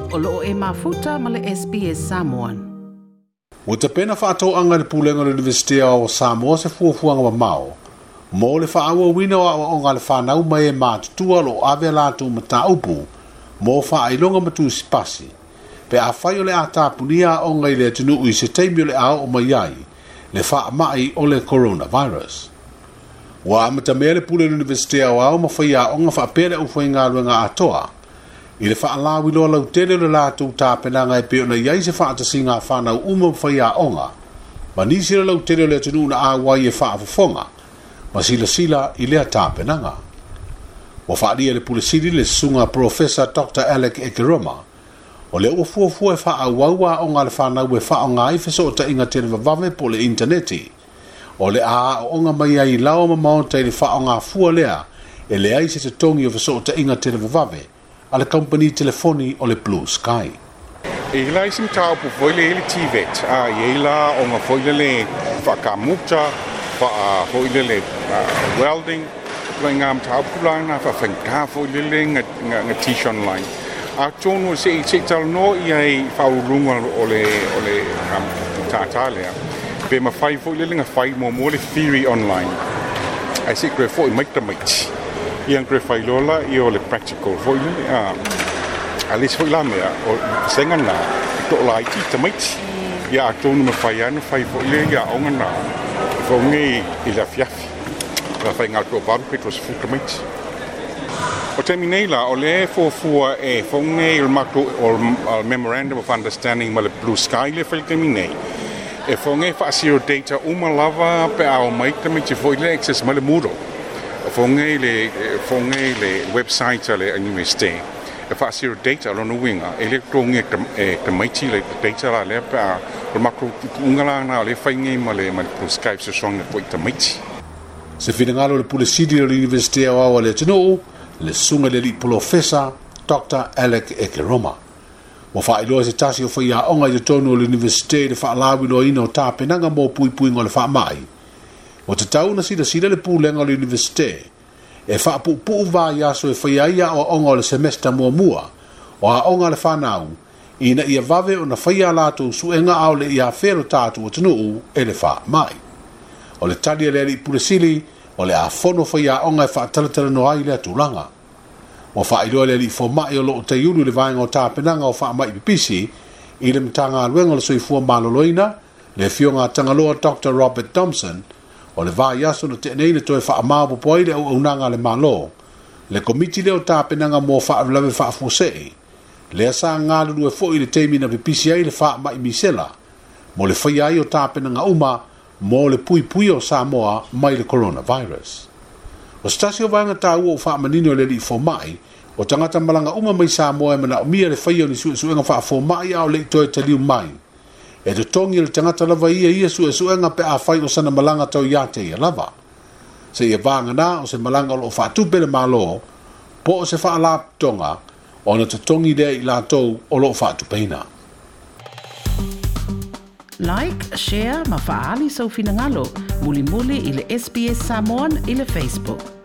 O loo e mafuta ma le SBS Samoan. Ua tapena faatauaga e le Pulega o le Iunivesite o Samoa se fuafuaga mamao mo le faaauauina o aoaoga a le fanau ma e matutua o lo o ave a latou mataupu mo faailoga ma tusipasi pe afai o le a tapunia aoga i le atunuu i se taimi o le a oo mai ai le faamai o le coronavirus. Ua amatamea le Pule o le Iunivesite Aoao ma faiaoga faapea le aufaigaluega atoa i le faalauiloa lautele o le latou tapenaga e pei ona i ai se faatasiga a fanau uma ma faiaoga ma nisi o le lautele o le atunuu na auai e faafofoga ma silasila i lea tapenaga. Ua faaalia e le Pule Sili le Susuga Polofesa Doctor Alec Ekeroma, o lea ua fuafua e faaauau aoga a le fanau e faaaoga ai fesootaiga televavave po o le initaneti, o le a aooga mai ai i laoa ma maota i le faaaoga fua lea e leai se totogi o fesootaiga televavave a le kamupani telefoni o le Blue Sky. E i la isi mataupu foi le i le TVET, a i ai la aoga foi lele faa-kamuta, faa foi lele welding, ituaiga mataupu la na faafaigata foi lele na teach online. Atonu se i talanoa i ai i faauluuluga o le matata lea, pe mafai foi lele na fai muamua le theory online, ae se i toe foi mai tamaiti, ia na toe fai loa la ia o le practical foi lele. A le isi foi la mea, o vasega na e toalaiti tamaiti, ia atonu mafai lava ona fai foi le ia aoga na foge i le afiafi. La fai ngā toa 8 pe 20 tamaiti. O taimi nei la, o le fuafua e foge i le matou o le Memorandum of Understanding ma le Blue Sky le fai le taimi nei. E foge faasio data uma lava pe a o mai tamaiti foi le access mai le Moodle. O foge le website a le university. E faasio data lona uiga, e le totogia e tamaiti le data la lea pe a o le matou tuutuuga la na o le fai nei ma le Blue Sky fesoasoani atu ai i tamaiti. Se finagalo o le Pule Sili o le Iunivesite Aoao a le atunuu, le Susuga i le Alii Polofesa Dr Alec Ekeroma. Ua faailoa se tasi o faiaoga i totonu o le Iunivesite i le faalauiloaina o tapenaga mo puipuiga o le faamai. Ua tatau ona silasila le pulega o le Iunivesite e faapuupuu vaiaso e faia ai aoaoga o le semester muamua o aoga a le fanau ina ia vave ona faia a latou suega a o le i afea lo tatou atunuu e le faamai. O le tali a le Alii Pule Sili, o le a fono faiaoga e faatalatalanoa ai lea tulaga. Ua faailoa e le Alii Fomai o loo taiulu i le vaega o tapenaga o faamai pipisi i le Matagaluega o le Soifua Maloloina, le Afioga a Tagaloa Dr Robert Thompson, o le vaiaso na tea nei na toe faamaopoopo ai le auaunaga a le Malo le komiti lea o tapenaga mo faalavelave faafuasei lea sa galulue foi i le taimi na pipisi ai le faamai misela mo le faia ai o tapenaga uma mo le puipuia o Samoa mai le coronavirus. O se tasi o vaega taua ua faamanino e le Alii Fomai, o tagata malaga uma mai Samoa e manaomia le faia o ni suesuega faafomai a o le i toe taliu mai. E totogi e le tagata lava ia ia suesuega pe afai o sana malaga tau ia te ia lava, seia vagana o se malaga o loo faatupe le Malo po o se faalapotopotoga, ona totogi lea i latou o loo faatupeina. Like, share ma faaali sou finagalo. Mulimuli i le SBS Samoan i le Facebook.